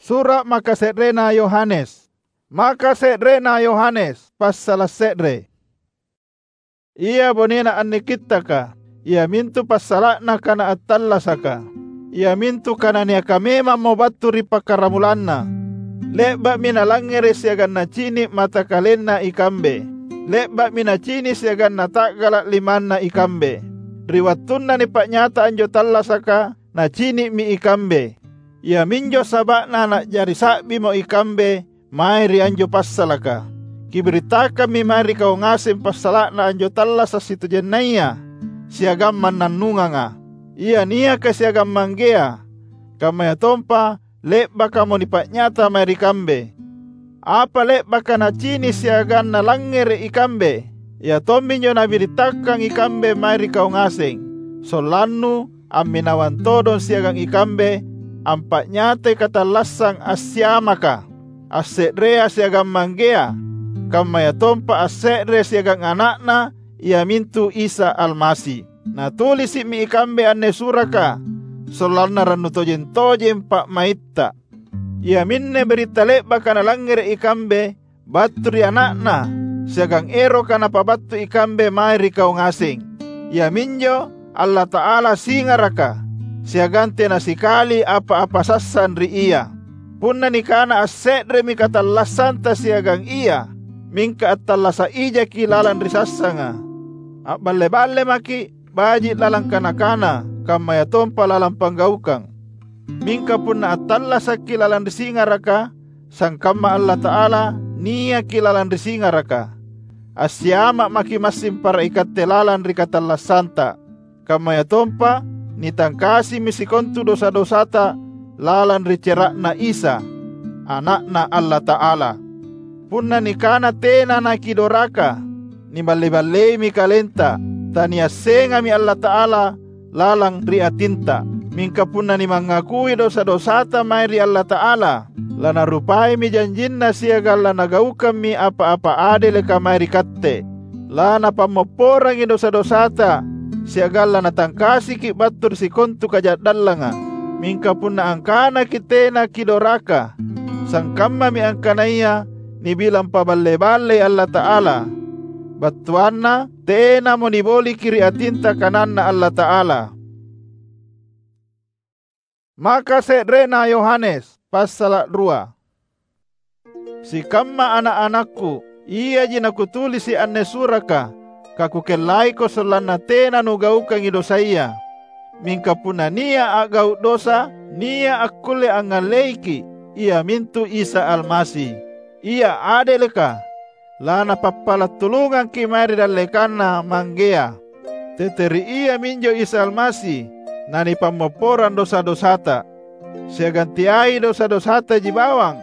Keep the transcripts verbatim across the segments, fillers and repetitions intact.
Sura’ makase'rena Yohanes. Makase'rena Yohanes, passala’ se're. Ia bonena anne Kittaka, iamintu passala'na kana attallasaka, iamintu kana niaka memammo battu ri pakkaramulanna. Le'ba'mi nalangngere’ siagang nacini’ matakalenna ikambe. Le'ba'mi nacini’ siagang nata'gala’ limanna ikambe. Ri wattunna nipa'nyata anjo tallasaka, nacini'mi ikambe. Iaminjo saba'na na'jari sa'bimo ikambe mae ri anjo passalaka. Kibirittakammi mae ri kau ngaseng passala'na anjo tallasa’ sitojennaya siagang mannannunganga, ia niaka siagang Manggea, kammayatompa le'bakamo nipa'nyata mae ri kambe. Apa le'baka nacini’ siagang nalangngere’ ikambe, ia tomminjo nabirittakang ikambe mae ri kau ngaseng, sollannu amminawang todong siagang ikambe ampa'nyatai katallassang assiamaka, asse'rea siagang Manggea, kammayatompa asse're siagang Ana'Na, iamintu Isa Almasi. Natulisi'mi ikambe anne suraka, sollanna rannu tojeng-tojeng pa'maitta. Iaminne biritta le'baka nalangngere’ ikambe battu ri Ana'Na, siagang eroka Napabattu ikambe mae ri kau ngaseng. Iaminjo Allata'ala singaraka, siagang tena sikali apa-apa sassang ri Ia. Punna nikana asse'remi katallassanta siagang Ia, mingka attallasa’ ijaki lalang ri sassanga. A'balle-balle maki’ baji’ lalang kana-kana, kammayatompa lalang panggaukang. Mingka punna attallasakki lalang ri singaraka, sangkamma Allata'ala niaki lalang ri singaraka, assiama’ maki’ massing para ikatte lalang ri katallassanta. Kammayatompa nitangkasimi sikontu dosa-dosata lalang ri cera'Na Isa, Ana'Na Allata'ala. Punna nikana tena nakidoraka, niballe-balleimi kalenta, taniassengami Allata'ala lalang ri atinta. Mingka punna nimangakui dosa-dosata mae ri Allata'ala, lanarupaimi janjinNa siagang lanagaukammi apa-apa adeleka mae ri katte. Lanapammopporangi dosa-dosata siagang lanatangkasiki battu ri sikontu kaja'dallanga. Mingka punna angkanaki tena kidoraka, sangkammami angkanaya nibilang paballe-ballei Allata'ala. Battuanna, tenamo niboliki ri atinta kananNa Allata'ala. Maka se'rena Yohanes, passala’ rua. Sikamma ana’-anakku, iaji nakutulisi’ anne suraka, kakukellaiko sollanna tena nugaukangi dosaya. Mingka punna nia’ a'gau’ dosa, nia’ akkulle angngalleiki, iamintu Isa Almasi. Ia adeleka, lanapappala’ tulungangki’ mae ri dallekanNa Manggea. Tete ri Iaminjo Isa Almasi nanipammopporang dosa-dosata, siagang teai dosa-dosataji bawang,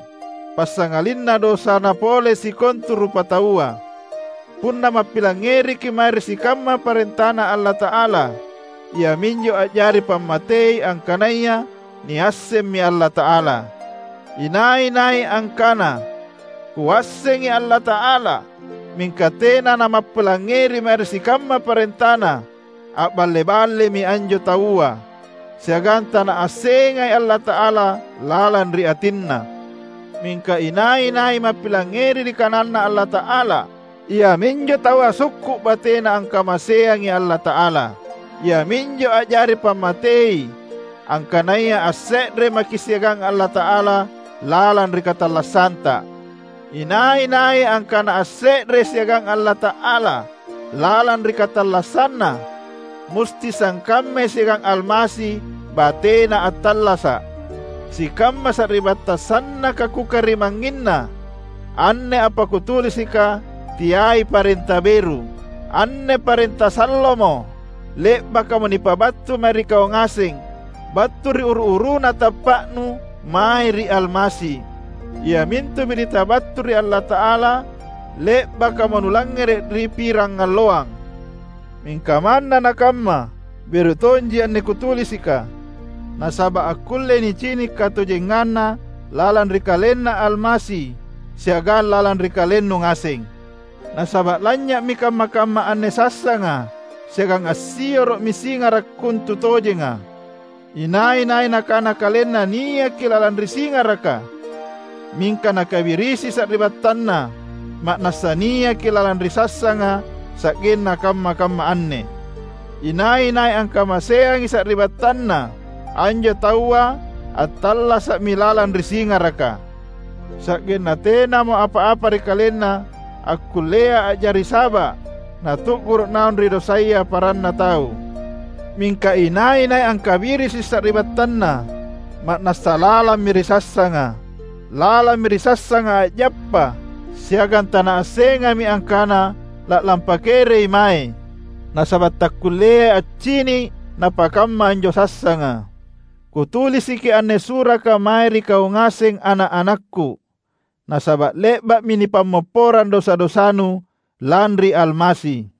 passangalinna dosana pole sikontu rupataua. Punna mappilangngeriki’ mae ri sikamma parentaNa Allata'ala, iaminjo a'jari pammatei angkanaya niassemmi Allata'ala. Inai-nai angkana, "Kuassengi Allata'ala," mingka tena namappilangngeri mae ri sikamma parentaNa, a'balle-ballemi anjo taua, siagang tanaassengai Allata'ala lalang ri atinna. Mingka inai-nai mappilangngeri ri kananNa Allata'ala, iaminjo taua sukku’ batena angkamaseangi Allata'ala, iaminjo a'jari pammatei angkanaya asse're maki’ siagang Allata'ala lalang ri katallassanta. Inai-nai angkana asse're siagang Allata'ala lalang ri katallassanna, musti sangkammai siagang Almasi batena attallasa’. Sikamma sari'battang sannaka kukarimangnginna, anne apa kutulisika teai parenta beru. Anne parenta sallomo, le'bakamo nipabattu mae ri kau ngaseng battu ri uru-uruna tappa'nu mae ri Almasi, iamintu birita battu ri Allata'ala le'bakamo nulangngere’ ri pirangalloang. Mingka manna nakamma, beru tonji anne kutulisika, nasaba’ akkullei nicini’ katojenganna lalang ri KalenNa Almasi siagang lalang ri kalennu ngaseng. Nasaba’ lanynya'mi kamma-kamma anne sassanga, siagang assioro'mi singara’ kontutojenga. Inai-nai nakana kalenna niaki lalang ri singaraka, mingka nakabirisi sari'battanna, ma'nassa niaki lalang ri sassanga sa'genna kamma-kamma anne. Inai-nai angkamaseangi sari'battanna, anjo taua attallasa'mi lalang ri singaraka. Sa'genna tenamo apa-apa ri kalenna akkullea a'jari saba' natu'guru' naung ri dosaya paranna tau. Mingka inai-nai angkabirisi sari'battanna, ma'nassa lalammi ri sassanga. Lalammi ri sassanga a'jappa, siagang tanaassengammi angkana la'lampa kerei mae, nasaba' takkulleai accini' napakamma anjo sassanga. Kutulisiki anne suraka mae ri kau ngaseng ana'-anakku, nasaba' le'ba'mi nipammopporang dosa-dosanu lanri Almasi.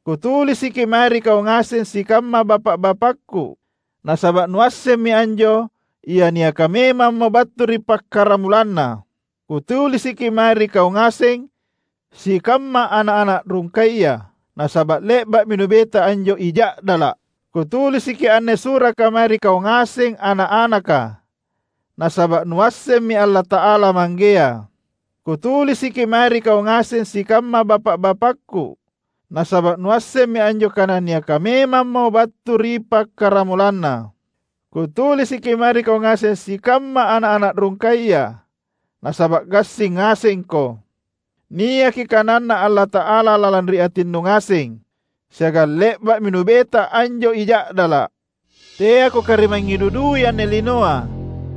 Kutulisiki mae ri kau ngaseng sikamma bapa'-bapakku, nasaba' nuassemmi anjo ia niaka memammo battu ri pakkaramulanna. Kutulisiki mae ri kau ngaseng sikamma ana'-ana' rungkaya, nasaba' le'ba'mi nubeta anjo I Ja'dala'. Kutulisiki anne suraka mae ri kau ngaseng ana'-anaka, nasaba' nuassemmi Allata'ala Manggea. Kutulisiki mae ri kau ngaseng sikamma bapa'-bapakku, nasaba' nuassemmi anjo kana niaka memammo battu ri pakkaramulanna. Kutulisiki mae ri kau ngaseng sikamma ana'-ana' rungkaya, nasaba' gassing ngasengko. Niaki kananNa Allata'ala lalang ri atinnu ngaseng, siagang le'ba'mi nubeta anjo I Ja'dala'. Teako karimangngi dudui anne linoa,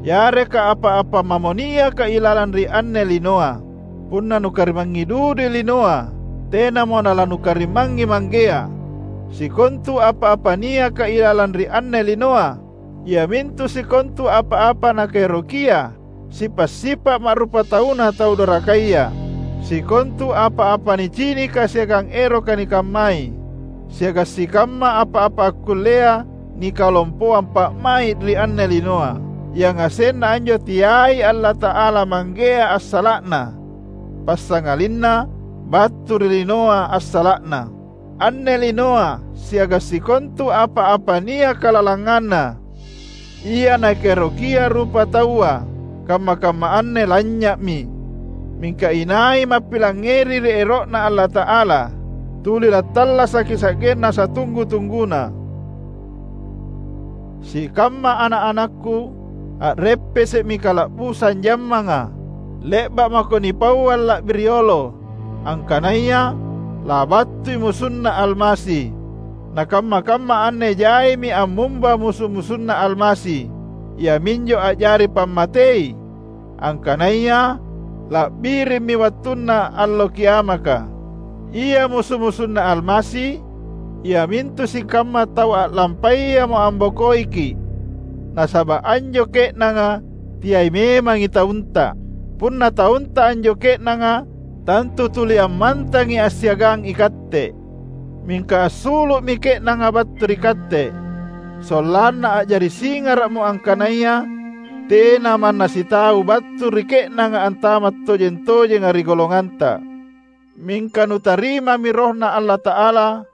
yareka apa-apa mamo niaka ilalang ri anne linoa. Punna nukarimangngi dudui linoa, tenamo nalanukarimangngi Manggea. Sikontu apa-apa niaka ilalang ri anne linoa, iamintu sikontu apa-apa nakaerokia, sipa'-sipa' ma'rupatauna tau dorakaya, sikontu apa-apa nicinika siagang eroka nikammai, siagang sikamma apa-apa akkullea nikalompoang pa'mai' ri anne linoa, yangasenna anjo teai Allata'ala Manggea assala'na, passangalinna battu ri linoa assala'na. Anne linoa siagang sikontu apa-apa niaka lalanganna, ia nakaerokia rupataua, kamma-kamma anne lanynya'mi. Mingka inai mappilangngeri ri ero'Na Allata'ala, tuli lattallasaki sa'genna satunggu-tungguna. Sikamma ana'-anakku, a'reppese'mi kala'busang jammanga, le'ba' mako nipauang la'bi riolo, angkanaya labattui musunNa Almasi. Nakamma-kamma anne jaimi ammumba musu-musunNa Almasi, iaminjo a'jari pammatei, angkanaya la'birimmi wattunna Allo Kiamaka. Ia musu-musunNa Almasi, iamintu sikamma tau a'lampayamo ambokoiki', nasaba' anjo ke'nanga teai memangi taunta. Punna taunta anjo ke'nanga, tantu tuli ammantangi assiagang ikatte. Mingka assulu'mi ke'nanga battu ri katte, sollanna a'jari singara'mo angkanaya tena manna sitau battu ri ke'nanga antama' tojeng-tojenga ri golonganta. Mingka nutarimami RohNa Allata'ala,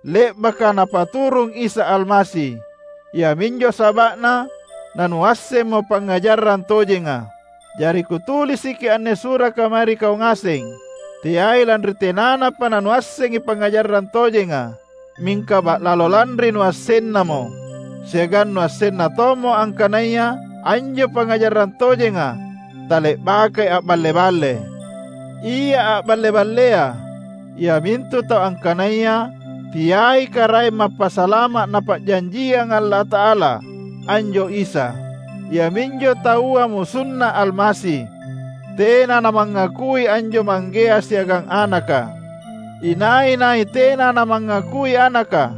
le'baka Napaturung Isa Almasi. Iaminjo saba'na nanuassemmo pangngajarang tojenga. Jari kutulisiki anne suraka mae ri kau ngaseng, teai lanri tenanapa nanuassengi pangngajarang tojenga, mingka ba'lalo lanri nuassennamo, siagang nuassenna tommo angkanaya anjo pangngajarang tojenga tale'bakai a'balle-balle. Ia a'balle-ballea, iamintu tau angkanaya teai Karaeng Mappasalama' Napa'janjiang Allata'ala, anjo Isa, iaminjo taua musunNa Almasi. Tena namangakui anjo Manggea siagang Anaka. Inai-nai tena namangakui Anaka,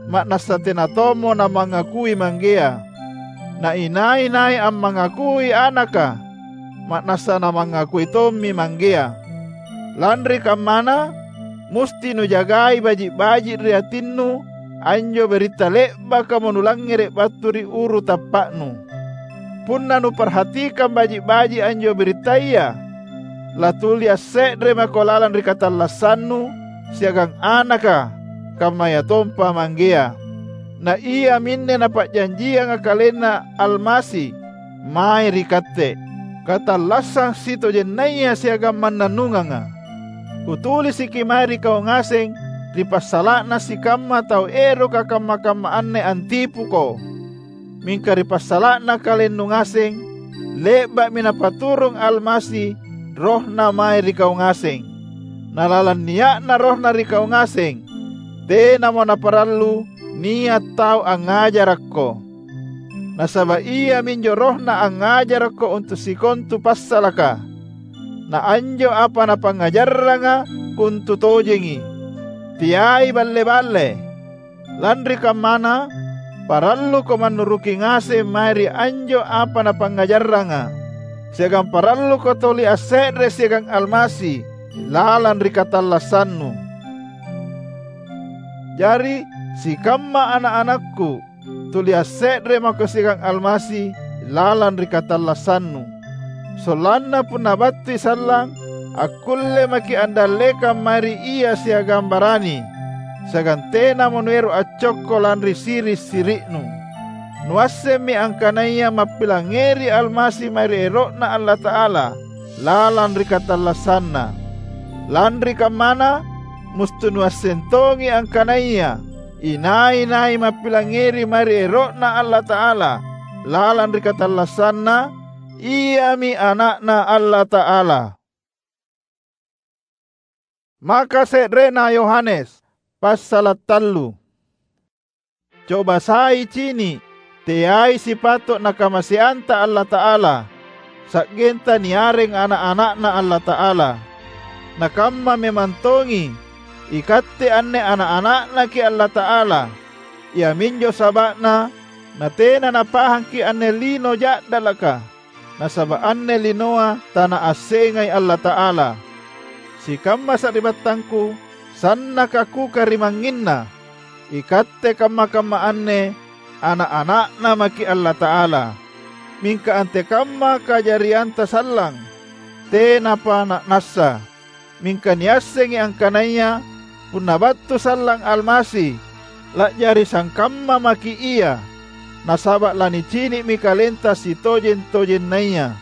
ma'nassa tena tommo namangakui Manggea. Na inai-nai ammangakui Anaka, ma'nassa namangakui tommi Manggea. Lanri kammana, musti nujagai baji'-baji' ri atinnu anjo biritta le'bakamo nulangngere' battu ri uru tappa'nu. Punna nuparhatikang baji'-baji' anjo birittaya, latuli asse're mako lalang ri katallassannu siagang Anaka, kammayatompa Manggea. Na iaminne Napa'janjianga KalenNa Almasi mae ri katte, katallassang sitojennaya siagang mannannunganga. Kutulisiki mae ri kau ngaseng ri passala'na sikamma tau eroka kamma-kamma anne antipuko. Mingka ri passala'na kalennu ngaseng, le'ba'mi Napaturung Almasi RohNa mae ri kau ngaseng. Na lalang nia'na RohNa ri kau ngaseng, tenamo naparallu nia’ tau angngajarakko. Nasaba’ iaminjo RohNa angngajarakko untu’ sikontu passalaka. Na anjo apa Napangngajarranga kontutojengi, teai balle-balle. Lanri kammana, paralluko mannuruki ngaseng mae ri anjo apa Napangngajarranga, siagang paralluko tuli asse're siagang Almasi lalang ri katallassannu. Jari, sikamma ana’-anakku, tuli asse're mako siagang Almasi lalang ri katallassannu. Sollanna punna battui sallang, akkulle maki’ andallekang mae ri ia siagang barani, siagang tenamo nuero’ accokko lanri siri’-siri'nu. Nuassemmi angkanaya mappilangngeri Almasi mae ri ero'Na Allata'ala lalang ri katallassanna. Lanri kammana, musti nuasseng tongi angkanaya inai-nai mappilangngeri mae ri ero'Na Allata'ala lalang ri katallassanna, iami ana'Na Allata'ala. Maka se'rena Yohanes, passala’ tallu. Coba sai cini’, teai sipato’ nakamaseanta Allata'ala, sa'genta niareng ana’-ana'Na Allata'ala. Nakamma memang tongi, ikatte anne ana’-ana'Naki’ Allata'ala. Iaminjo saba'na natena napahangki’ anne lino ja'dalaka, nasaba’ anne linoa tanaassengai Allata'ala. Sikamma sari'battangku, sannaka kukarimangnginna, ikatte kamma-kamma anne ana’-ana'Na maki’ Allata'ala. Mingka antekamma kajarianta sallang, tenapa na'nassa. Mingka niassengi angkanaya punna battu sallang Almasi, la'jari sangkamma maki’ Ia, nasaba’ lanicini'mi KalentaSitojeng-tojennaya.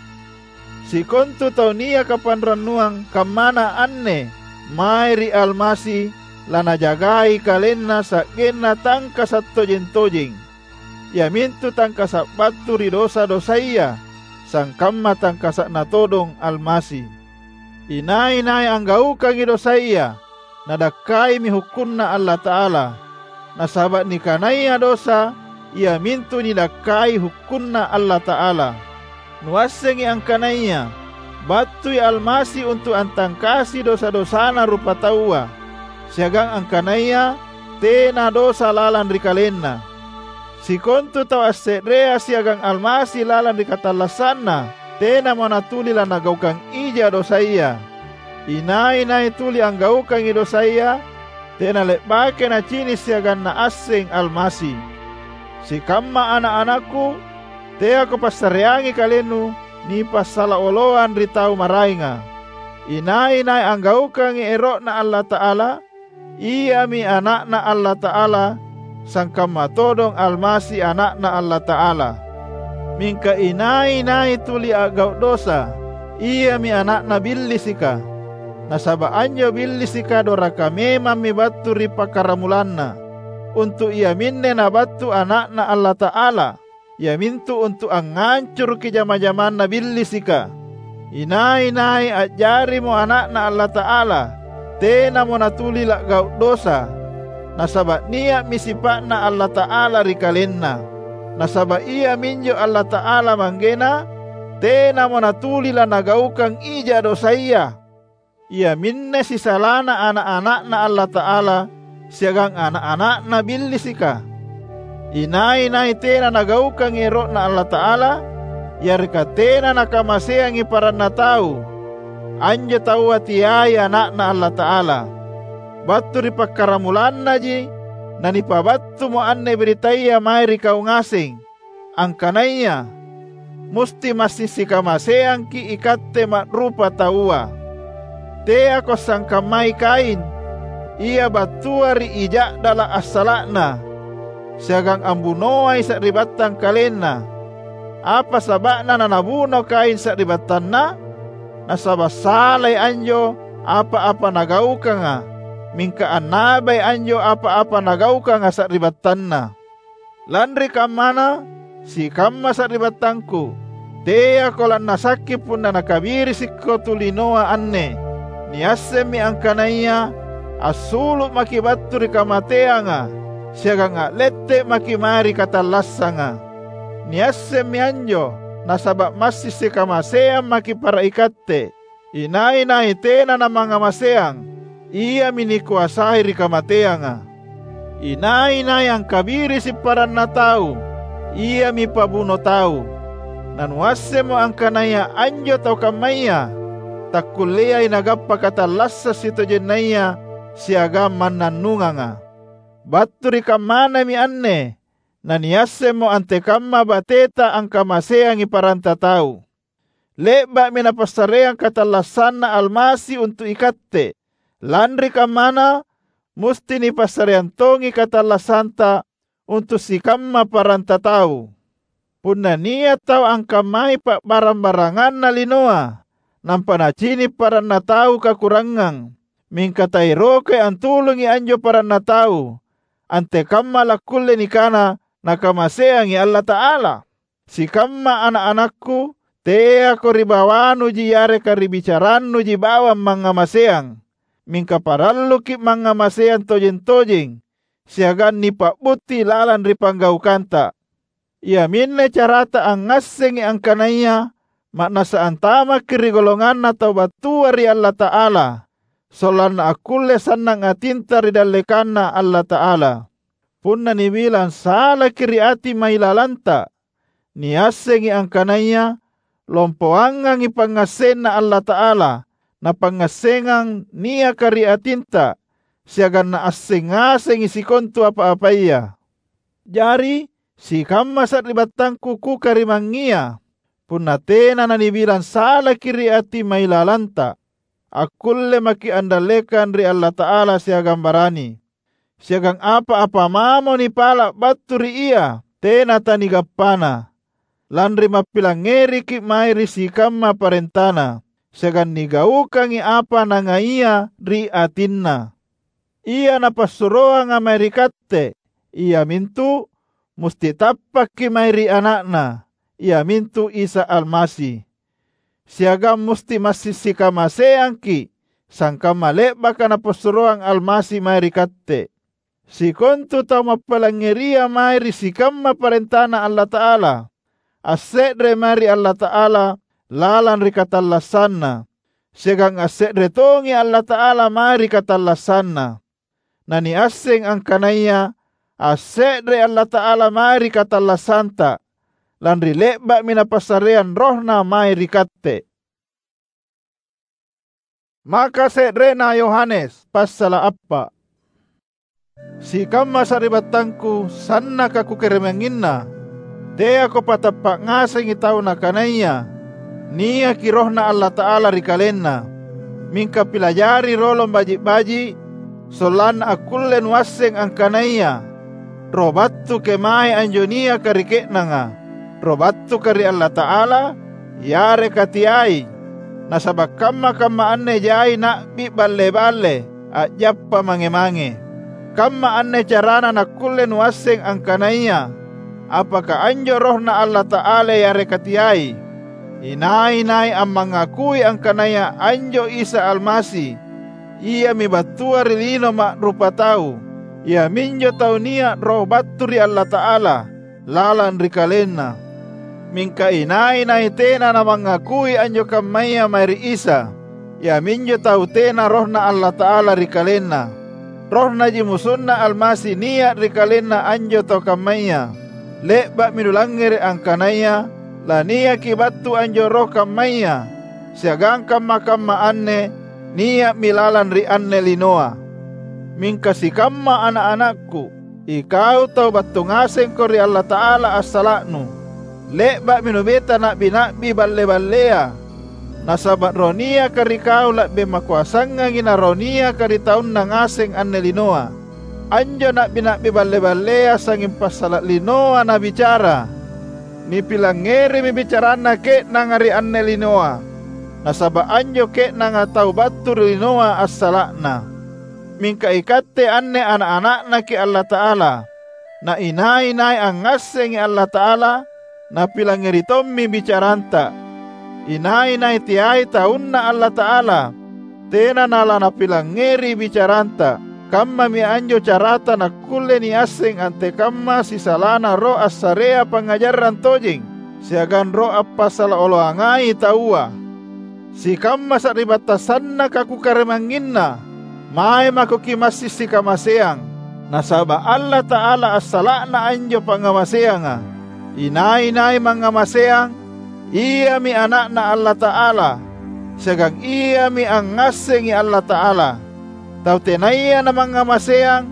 Sikontu tau niaka panrannuang kammana anne mae ri Almasi, lanajagai kalenna sa'genna tangkasa’ tojeng-tojeng, iamintu tangkasa’ battu ri dosa-dosaya, sangkamma tangkasa'Na todong Almasi. Inai-nai anggaukangi dosaya, nadakkaimi hukkunNa Allata'ala, nasaba’ nikanaya dosa iamintu nidakkai hukkunNa Allata'ala. Nuassengi angkanaya battui Almasi untu’ antangkasi dosa-dosana rupataua, siagang angkanaya tena dosa lalang ri KalenNa. Sikontu tau asse'rea siagang Almasi lalang ri katallassanna, tenamo natuli lanagaukang ija dosaya. Inai-nai tuli anggaukangi dosaya, tena le'baki nacini’ siagang naasseng Almasi. Sikamma ana’-anakku, teako passareangi kalennu nipassala oloang ri tau maraenga. Inai-nai anggaukangi ero'Na Allata'ala, iami ana'Na Allata'ala, sangkamma todong Almasi Ana'Na Allata'ala. Mingka inai-nai tuli a'gau’ dosa, iami ana'na Billisika. Nasaba’ anjo Billisika doraka memammi battu ri pakkaramulanna, untu’ iaminne nabattu Ana'Na Allata'ala, iamintu untu’ angngancuruki jama-jamanna Billisika. Inai-nai a'jarimo ana'Na Allata'ala, tenamo natuli la'gau’ dosa, nasaba’ nia'mi sipa'Na Allata'ala ri kalenna. Nasaba’ Iaminjo Allata'ala Manggena, tenamo natuli lanagaukang ija dosaya. Iaminne sisalana ana’-ana'Na Allata'ala siagang ana’-ana'na Billisika. Inai-nai tena nagaukangi ero'Na Allata'ala, yareka tena nakamaseangi paranna tau, anjo taua teai ana'Na Allata'ala. Battu ri pakkaramulannaji nanipabattumo anne biritaya mae ri kau ngaseng, angkanaya musti massing sikamaseangki’ ikatte ma'rupataua. Teako sangkammai Kain, ia battua ri ija'dala’ assala'na. siagang ambunoai sari'battang kalenna. Apa saba'na nanabuno Kain sari'battanna? Nasaba’ salai anjo apa-apa nagaukanga, mingka annabai anjo apa-apa nagaukanga sari'battanna. Lanri kammana, sikamma sari'battangku, teako lannasakki punna nakabirisikko tu linoa anne. Niassemmi angkanaya assulu’ maki’ battu ri kamateanga siagang a'lette’ maki’ mae ri katallassanga. Niassemmi anjo, nasaba’ massing sikamaseang maki’ para ikatte. Inai-nai tena namangngamaseang, iami nikoasai ri kamateanga. Inai-nai angkabirisi’ paranna tau, iami pabuno tau. Nanuassemmo angkanaya anjo tau kammaya takkulleai nagappa katallassang sitojennaya siagang mannannunganga. Battu ri kammanami anne naniassemmo antekamma bateta angkamaseangi paranta tau. Le'ba'mi Napassareang katallassanNa Almasi untu’ ikatte. Lanri kammana, musti nipassareang tongi katallassanta untu’ sikamma paranta tau. Punna nia’ tau angkammai pa'barang-baranganna linoa, nampa nacini’ paranna tau kakurangang, mingka taerokai antulungi anjo paranna tau, antekamma lakkulle nikana nakamaseangi Allata'ala? Sikamma ana’-anakku, teako ri bawanuji yareka ri bicarannuji bawang mangngamaseang, mingka paralluki’ mangngamaseang tojeng-tojeng siagang nipa'butti lalang ri panggaukanta. Iaminne carata angngassengi angkanaya ma'nassa antamaki’ ri golonganna tau battua ri Allata'ala, sollanna akkulle sannang atinta ri dallekanNa Allata'ala. Punna nibilang salaki’ ri ati mailalanta, niassengi angkanaya lompoangangi pangngassenNa Allata'ala na pangngassengang niaka ri atinta, siagang naasseng ngasengi sikontu apa-apaya. Jari, sikamma sari'battangku kukarimangngia, punna tena nanibilang salaki’ ri ati mailalanta, akkulle maki’ andallekang ri Allata'ala siagang barani. Siagang apa-apa mamo nipala’ battu ri Ia, tena tanigappana. Lanri mappilangngeriki’ mae ri sikamma parentaNa, siagang nigaukangi apa Nangaia ri atinNa. Ia Napassuroanga mae ri katte, iamintu musti tappakki’ mae ri Ana'Na, iamintu Isa Almasi. Siagang musti massing sikamaseangki’, sangkamma le'baka Napassuroang Almasi mae ri katte. Sikontu tau mappilangngeria mae ri sikamma parentaNa Allata'ala, asse're mae ri Allata'ala lalang ri katallassanna, siagang asse're tongi Allata'ala mae ri katallassanna. Naniasseng angkanaya asse're Allata'ala mae ri katallassanta, lanri le'ba'mi Napassareang RohNa mae ri katte. Maka se'rena Yohanes, passala’ appa’. Sikamma sari'battangku sannaka kukarimangnginna, teako patappa’ ngasengi tau nakanaya niaki RohNa Allata'ala ri kalenna. Mingka pilajari rolong baji’-baji’, sollanna akkulle nuasseng angkanaya Roh battu kemae anjo niaka ri ke'nanga, Roh battuka ri Allata'ala, yareka teai. Nasaba’ kamma-kamma anne jai na'bi balle-balle a'jappa mange-mange. Kamma anne carana nakkulle nuasseng angkanaya apaka anjo RohNa Allata'ala yareka teai. Inai-nai ammangakui angkanaya anjo Isa Almasi, Iami battua ri lino ma'rupatau, iaminjo tau nia’ Roh battu ri Allata'ala lalang ri kalenna. Mingka inai-nai tena namangakui anjo kammaya mae ri Isa, iaminjo tau tena RohNa Allata'ala ri kalenna. RohNaji musunna Almasi nia’ ri kalenna anjo tau kammaya. Le'ba'mi nulangngere’ angkanaya laniaki battu anjo roh kammaya, siagang kamma-kamma anne nia'mi lalang ri anne linoa. Mingka sikamma ana’-anakku, ikau tau battu ngasengko ri Allata'ala assala'nu, le'ba'mi nubeta na'bi-na'bi balle-ballea, nasaba’ roh niaka ri kau la'bi makoasangangi na roh niaka ri taunna ngaseng anne linoa. Anjo na'bi-na'bi balle-ballea sangnging passala’ linoa nabicara. Nipilangngerimi bicaranna ke'nanga ri anne linoa, nasaba’ anjo ke'nanga tau battu ri linoa assala'na. Mingka ikatte anne ana’-ana'Naki’ Allata'ala. Na inai-nai angngassengi Allata'ala, napilangngeri tommi bicaranta. Inai-nai teai taunNa Allata'ala, tena nalanapilangngeri bicaranta. Kammami anjo carata nakkulle niasseng antekamma sisalana roh assarea pangngajarang tojeng siagang roh appasala oloangai taua. Sikamma sari'battang sannaka kukarimangnginna, mae mako kimassing sikamaseang, nasaba’ Allata'ala assala'na anjo pangngamaseanga. Inai-nai mangngamaseang, iami ana'Na Allata'ala, siagang iami angngassengi Allata'ala. Tau tenaya namangngamaseang,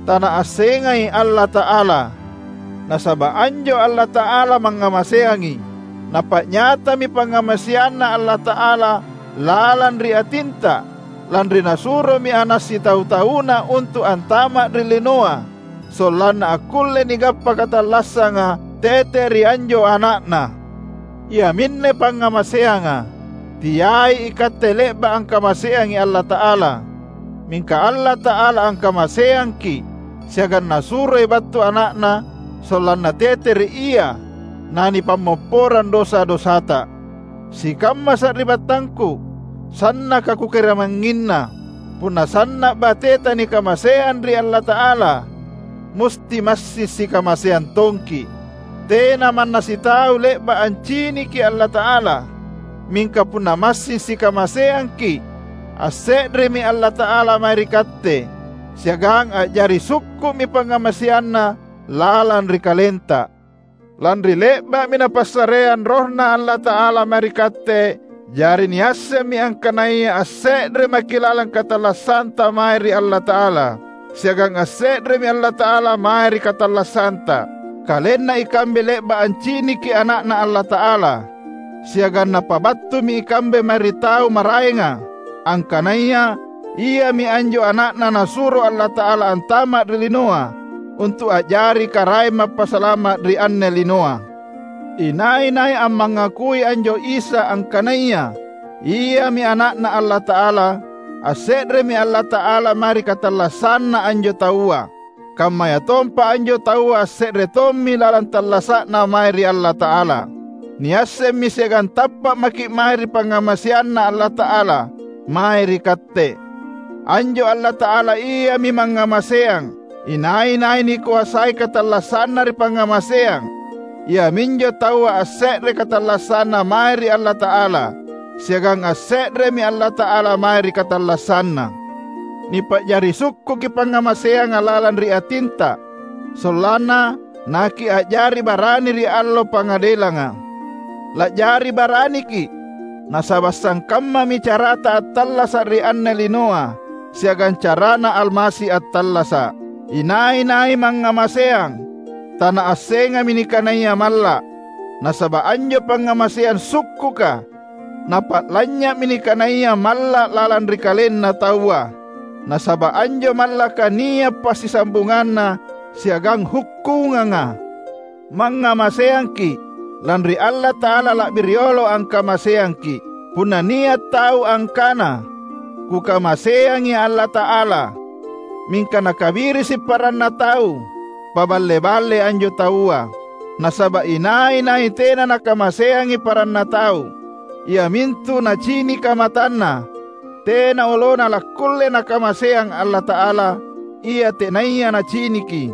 tanaassengai Allata'ala. Nasaba’ anjo Allata'ala mangngamaseangi. Napa'nyatami pangngamaseanNa Allata'ala lalang ri atinta, lanri Nasuromi Ana’ sitau-tauNa untu’ antama’ ri linoa, sollanna akkulle nigappa katallassanga tete ri anjo Ana'Na. Iaminne pangngamaseanga. Teai ikatte le'ba’ angkamaseangi Allata'ala, mingka Allata'ala angkamaseangki’, siagang Nasuroi battu Ana'Na sollanna tete ri Ia nanipammopporang dosa-dosata. Sikamma sari'battangku, sannaka kukarimangnginna, punna sanna’ bateta nikamaseang ri Allata'ala, musti massing sikamaseang tongki’. Tena manna sitau le'ba’ anciniki Allata'ala, mingka punna massing sikamaseangki’, asse'remi Allata'ala mae ri katte, siagang a'jari sukku'mi pangngamaseanNa lalang ri kalenta. Lanri le'ba'mi Napassareang RohNa Allata'ala mae ri katte, jari niassemmi angkanaya asse're maki’ lalang katallassanta mae ri Allata'ala, siagang asse'remi Allata'ala mae ri katallassanta. Kalenna ikambe le'ba’ anciniki Ana'Na Allata'ala, siagang Napabattumi ikambe mae ri tau maraenga, angkanaya Iami anjo Ana'Na Nasuro Allata'ala antama’ ri linoa, untu’ a'jari Karaeng Mappasalama’ ri anne linoa. Inai-nai ammangakui anjo Isa angkanaya Iami Ana'Na Allata'ala, asse'remi Allata'ala mae ri katallassanna anjo taua. Kammayatompa anjo taua asse're tommi lalang tallasa'na mae ri Allata'ala. Niassemmi siagang tappa’ maki’ mae ri pangngamaseanNa Allata'ala mae ri katte. Anjo Allata'ala Iami mangngamaseang. Inai-nai nikoasai katallassanna ri pangngamaseang, iaminjo taua asse're katallassanna mae ri Allata'ala, siagang asse'remi Allata'ala mae ri katallassanna. Nipa'jari sukkuki pangngamaseanga lalang ri atinta, sollanna nakia'jari barani ri Allo Pangadelanga. La'jari baraniki’, nasaba’ sangkammami carata attallasa’ ri anne linoa siagang carana Almasi attallasa’. Inai-nai mangngamaseang, tanaassengai nikanaya malla’, nasaba’ anjo pangngamaseang sukkuka Napa'lanynya'mi nikanaya malla’ lalang ri kalenna taua, nasaba’ anjo mallaka nia’ passisambunganna siagang hukkunganga. Mangngamaseangki’, lanri Allata'ala la'bi riolo angkamaseangki’. Punna nia’ tau angkana, "Kukamaseangi Allata'ala," mingka nakabirisi’ paranna tau, paballe-balle anjo taua. Nasaba’ inai-nai tena nakamaseangi paranna tau, iamintu nacinika matanna, tena olona lakkulle nakamaseang Allata'ala, Ia tenaya naciniki.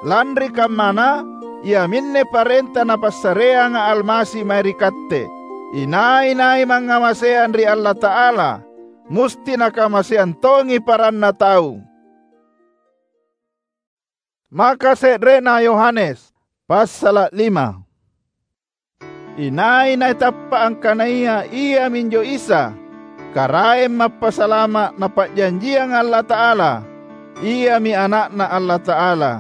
Lanri kammana, iaminne parenta Napassareanga Almasi mae ri katte: Inai-nai mangngamaseang ri Allata'ala, musti nakamaseang tongi paranna tau. Maka se're'na Yohanes, passala’ lima. Inai-nai tappa’ angkanaya Iaminjo Isa, Karaeng Mappasalama’ Napa'janjianga Allata'ala, Iami Ana'Na Allata'ala.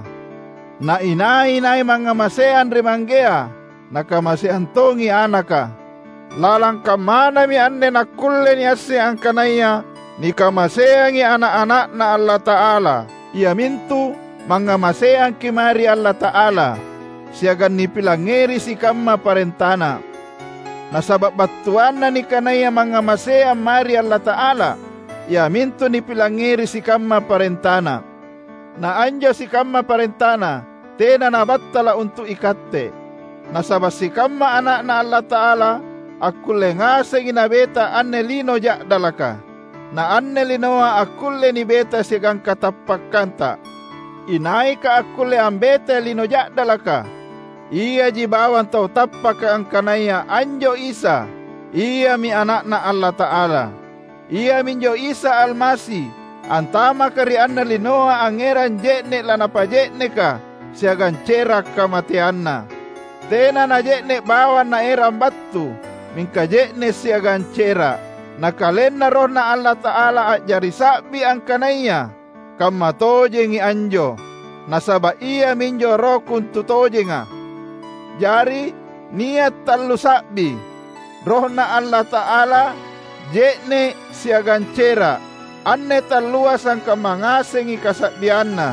Na inai-nai mangngamaseang ri Manggea, nakamaseang tongi Anaka. Lalang kammanami anne nakkulle niasseng angkanaya nikamaseangi ana’-ana'Na Allata'ala. iamintu mangngamaseangki’ mae ri Allata'ala, siagang nipilangngeri sikamma parentaNa. Nasaba’ battuanna nikanaya mangngamaseang mae ri Allata'ala, iamintu nipilangngeri sikamma parentaNa. Na anjo sikamma parentaNa tena nabattala’ untu’ ikatte. Nasaba’ sikamma ana'Na Allata'ala akkulle ngasengi nabeta anne lino ja'dalaka. Na anne linoa akkulle nibeta siagang katappakkanta. Inaika akkulle ambetai lino ja'dalaka? Iaji bawang tau tappaka angkanaya anjo Isa, Iami Ana'Na Allata'ala. Iaminjo Isa Almasi, antamaka ri anne linoa angngerang je'ne’ lanapaje'neka siagang cera’ kamateanNa. Tena naje'ne’ bawang Naerang battu, mingka je'ne’ siagang cera’. Na KalenNa RohNa Allata'ala a'jari sa'bi angkanaya kamma tojengi anjo, nasaba’ Iaminjo Roh kontutojenga. Jari, nia’ tallu sa'bi: RohNa Allata'ala, je'ne’, siagang cera’. Anne tallua sangkamma ngasengi kasa'bianna.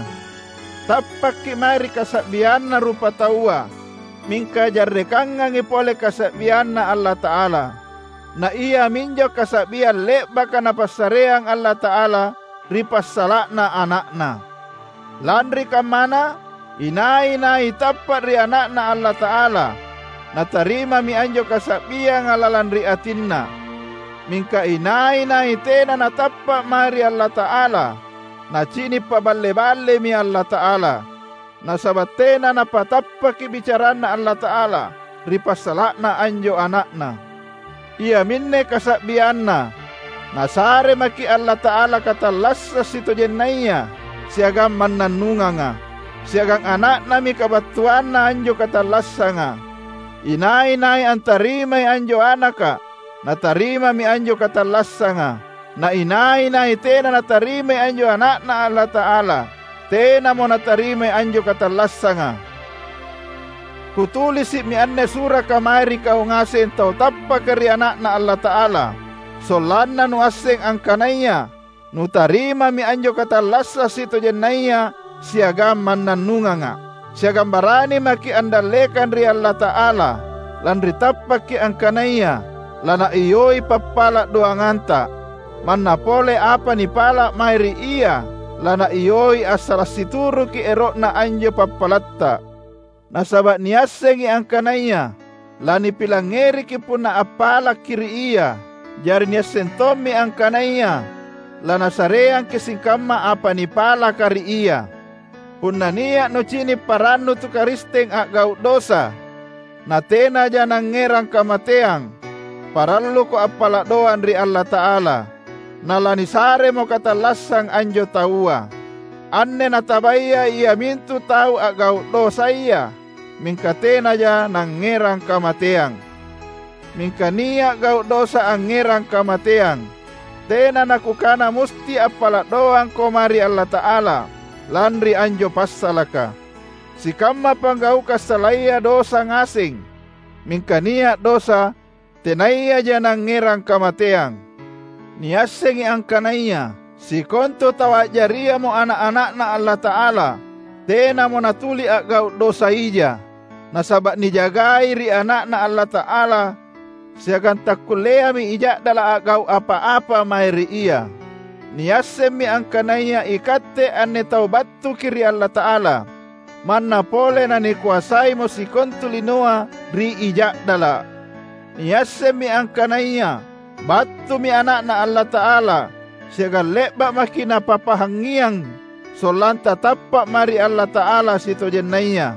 Tappakki’ mae ri kasa'bianna rupataua, mingka jarrekangangi pole kasa'bianNa Allata'ala. Na iaminjo kasa'biang le'baka Napassareang Allata'ala ri passala'na Ana'Na. Lanri kammana, inai-nai tappa’ ri Ana'Na Allata'ala, natarimami anjo kasa'bianga lalang ri atinna. Mingka inai-nai tena natappa’ mae ri Allata'ala, nacini’ paballe-ballemi Allata'ala. Nasaba’ tena napatappaki bicaranNa Allata'ala ri passala'na anjo Ana'Na. Iaminne kasa'bianna, Nasare maki’ Allata'ala katallassang sitojennaya siagang mannannunganga, siagang Ana'Nami kabattuanna anjo katallassanga. Inai-nai antarimai anjo Anaka, natarimami anjo katallassanga. Na inai-nai tena natarimai anjo Ana'Na Allata'ala, tenamo natarimai anjo katallassanga. Kutulisi'mi anne suraka mae ri kau ngaseng tau tappaka ri Ana'Na Allata'ala, sollanna nuasseng angkanaya nutarimami anjo katallassang sitojennaya siagang mannannunganga. Siagang barani maki’ andallekang ri Allata'ala, lanri tappakki’ angkanaya laNaioi pappala’ doanganta. Manna pole apa nipala’ mae ri Ia, laNaioi assala’ situruki ero'na anjo pappalatta. Nasaba’ niassengi angkanaya lanipilangngeriki punna appalakki ri Ia. Jari niasseng tommi angkanaya laNasareangki sikamma apa nipalaka ri Ia. Punna nia’ nucini’ parannu tu Karisteng a'gau’ dosa, natenaja nangngerang kamateang, paralluko appala’ doang ri Allata'ala, nalanisaremo katallassang anjo taua. Anne natabaya iamintu tau a'gau’ dosaya, mingka tenaja nangngerang kamateang. Mingka nia’ gau’ dosa angngerang kamateang. Tena nakukana musti appala’ doangko mae ri Allata'ala lanri anjo passalaka. Sikamma panggaukang salaya dosa ngaseng, mingka nia’ dosa tenayaja nangngerang kamateang. Niassengi angkanaya sikontu tau a'jariamo ana’-ana'Na Allata'ala, tenamo natuli a'gau’ dosa ija, nasaba’ nijagai ri Ana'Na Allata'ala, siagang takkulleami ija'dala’ a'gau’ apa-apa mae ri Ia. Niassemmi angkanaya ikatte anne tau battuki ri Allata'ala, manna pole nanikoasaimo sikontu linoa ri ija'dala’. Niassemmi angkanaya battumi Ana'Na Allata'ala, siagang le'ba’ maki’ Napapahangngiang sollanta tappa’ mae ri Allata'ala sitojennaya.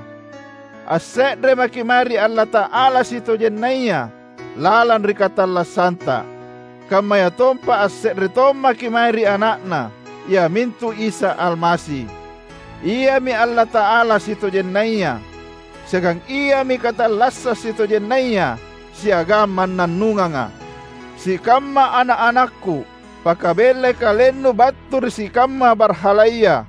Asse're maki’ mae ri Allata'ala sitojennaya lalang ri katallassanta. Kammayatompa asse're tommaki’ mae ri Ana'Na, iamintu Isa Almasi. Iami Allata'ala sitojennaya, siagang Iami katallassang sitojennaya siagang mannannunganga. Sikamma ana’-anakku, pakabellai kalennu battu ri sikamma barhalaya,